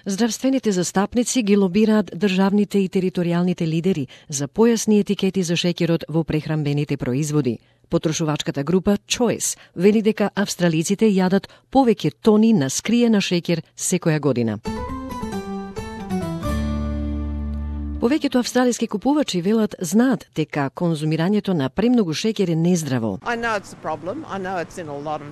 Здравствените застапници ги лобираат државните и територијалните лидери за појасни етикети за шеќерот во прехранбените производи. Потрошувачката група Choice вели дека австралиците јадат повеќе тони на скриена шеќер секоја година. Повеќето австралиски купувачи велат знаат дека конзумирањето на премногу шеќер е нездраво. I know it's a problem. I know it's in a lot of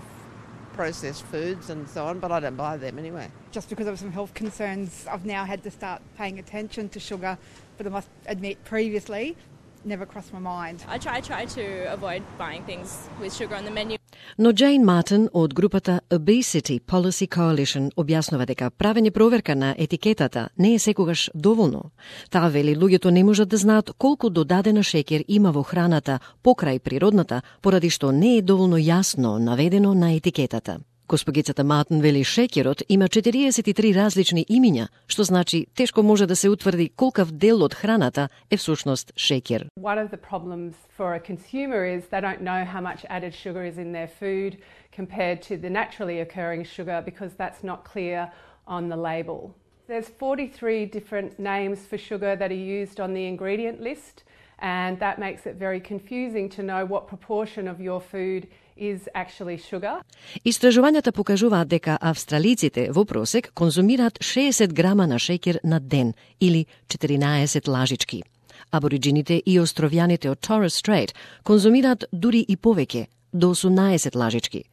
processed foods and so on, but I don't buy them anyway. Just because of some health concerns, I've now had to start paying attention to sugar, but I must admit previously, never crossed my mind. I try to avoid buying things with sugar on the menu. Но Джейн Мартин од групата Obesity Policy Coalition објаснува дека правење проверка на етикетата не е секогаш доволно. Таа вели луѓето не можат да знаат колку додадена шеќер има во храната покрај природната, поради што не е доволно јасно наведено на етикетата. Госпогицата Мартин вели шеќерот има 43 различни имиња, што значи тешко може да се утврди колкав дел од храната е всушност шеќер. One of the problems for a consumer is they don't know how much added sugar is in their food compared to the naturally occurring sugar because that's not clear on the label. There's 43 different names for sugar that are used on the ingredient list, and that makes it very confusing to know what proportion of your food is actually sugar. Истражувањата покажуваат дека австралиците во просек конзумираат 60 грама на шеќер на ден или 14 лажички. Абориджините и островјаните од Torres Strait конзумираат дури и повеќе, до 18 лажички.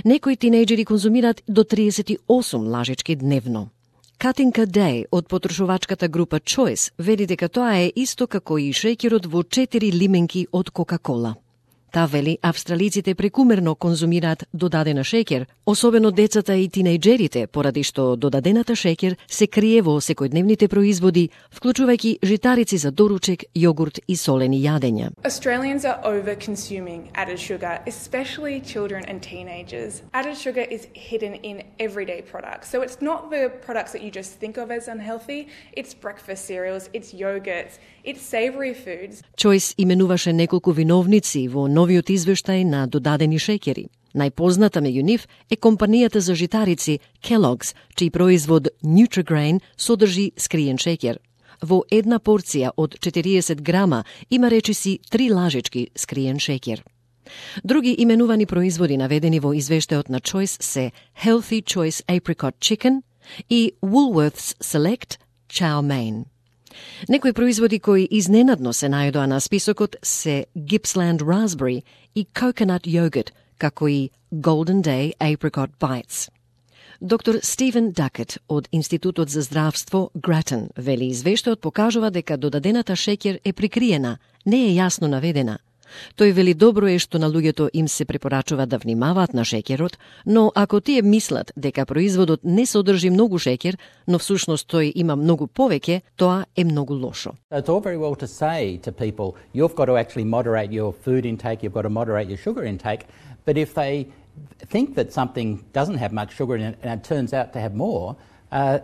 Некои тинејџери конзумираат до 38 лажички дневно. Катинка Дей од потрошувачката група Choice вели дека тоа е исто како и шеќерот во 4 лименки од Кока-кола. Та вели австралиците прекумерно конзумираат додадена шеќер, особено децата и тинејџерите, поради што додадената шеќер се крие во секојдневните производи, вклучувајќи житарици за доручек, јогурт и солени јадења. Australians are over-consuming added sugar, especially children and teenagers. Added sugar is hidden in everyday products. So it's not the products that you just think of as unhealthy, it's breakfast cereals, it's yogurts, it's savoury foods. Choice именуваше неколку виновници во новиот извештај на додадени шеќери. Најпозната меѓу нив е компанијата за житарици Kellogg's, чиј производ Nutri-Grain содржи скриен шеќер. Во една порција од 40 грама има речиси 3 лажички скриен шеќер. Други именувани производи наведени во извештајот на Choice се Healthy Choice Apricot Chicken и Woolworths Select Chow Mein. Некои производи кои изненадно се најдоа на списокот се Gippsland Raspberry и Coconut Yogurt, како и Golden Day Apricot Bites. Доктор Стивен Дакет од Институтот за здравство Grattan вели извештајот покажува дека додадената шеќер е прикриена, не е јасно наведена. Тој вели добро е што на луѓето им се препорачува да внимаваат на шеќерот, но ако тие мислат дека производот не содржи многу шеќер, но всушност тој има многу повеќе, тоа е многу лошо. It's all very well to say to people, you've got to actually moderate your food intake, you've got to moderate your sugar intake, but if they think that something doesn't have much sugar in it and it turns out to have more,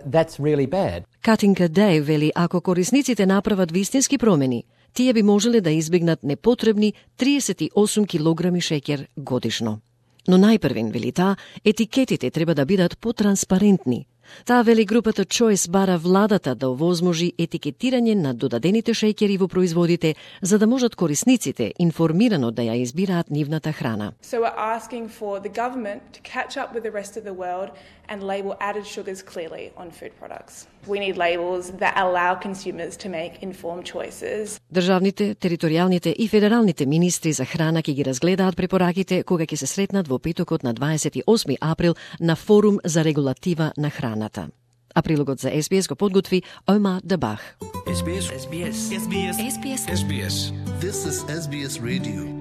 that's really bad. Катинка Дей вели ако корисниците направат вистински промени, тие би можеле да избегнат непотребни 38 килограми шеќер годишно. Но најпрвен, вели таа, етикетите треба да бидат потранспарентни. Таа вели групата Choice бара владата да овозможи етикетирање на додадените шеќери во производите, за да можат корисниците информирано да ја избираат нивната храна. So we're asking for the government to catch up with the rest of the world and label added sugars clearly on food products. We need labels that allow consumers to make informed choices. Државните, територијалните и федералните министри за храна ќе ги разгледаат препораките кога ќе се сретнат во петокот на 28 април на форум за регулатива на храната. А прилогот за SBS го подготви Омар Дабах. SBS. SBS. SBS. SBS. This is SBS Radio.